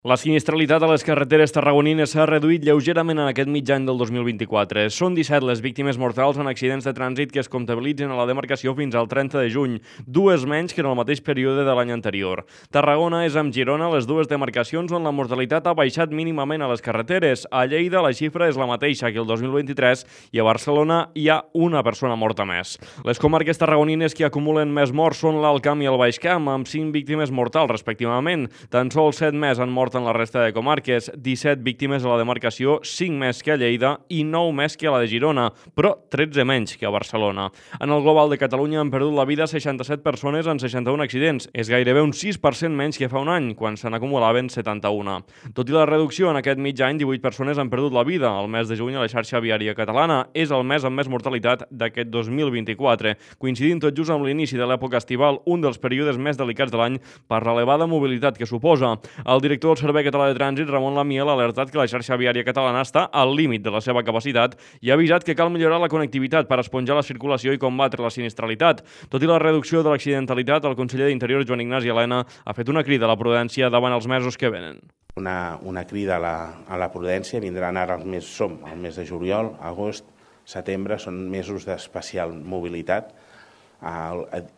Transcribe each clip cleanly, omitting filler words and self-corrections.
La sinistralitat a les carreteres tarragonines s'ha reduït lleugerament en aquest mig any del 2024. Són 17 les víctimes mortals en accidents de trànsit que es comptabilitzen a la demarcació fins al 30 de juny, dues menys que en el mateix període de l'any anterior. Tarragona és amb Girona les dues demarcacions on la mortalitat ha baixat mínimament a les carreteres. A Lleida la xifra és la mateixa que el 2023 i a Barcelona hi ha una persona morta més. Les comarques tarragonines que acumulen més morts són l'Alt Camp i el Baix Camp, amb 5 víctimes mortals respectivament. Tan sols 7 més han mort en la resta de comarques, 17 víctimes a la demarcació, 5 més que a Lleida i 9 més que a la de Girona, però 13 menys que a Barcelona. En el global de Catalunya han perdut la vida 67 persones en 61 accidents. És gairebé un 6% menys que fa un any, quan se n'acumulaven 71. Tot i la reducció en aquest mig any, 18 persones han perdut la vida. El mes de juny a la xarxa viària catalana és el mes amb més mortalitat d'aquest 2024, coincidint tot just amb l'inici de l'època estival, un dels períodes més delicats de l'any per l'elevada mobilitat que suposa. El director del Servei Català de Trànsit, Ramon Lamiel, ha alertat que la xarxa viària catalana està al límit de la seva capacitat i ha avisat que cal millorar la connectivitat per esponjar la circulació i combatre la sinistralitat. Tot i la reducció de l'accidentalitat, el conseller d'Interior, Joan Ignasi Elena, ha fet una crida a la prudència davant els mesos que venen. Una crida a la prudència. Vindran ara som al mes de juliol, agost, setembre, són mesos d'especial mobilitat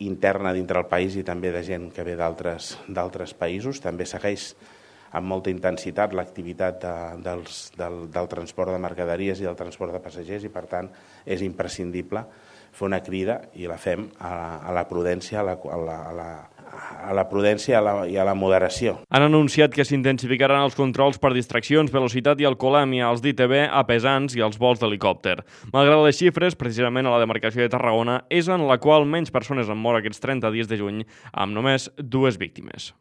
interna dintre el país i també de gent que ve d'altres països. També segueix amb molta intensitat l'activitat del transport de mercaderies i del transport de passatgers i, per tant, és imprescindible fer una crida, i la fem, a la prudència, a la prudència i a la moderació. Han anunciat que s'intensificaran els controls per distraccions, velocitat i alcoholèmia als d'ITV, a pesants i als vols d'helicòpter. Malgrat les xifres, precisament a la demarcació de Tarragona és en la qual menys persones han mort aquests 30 dies de juny, amb només 2 víctimes.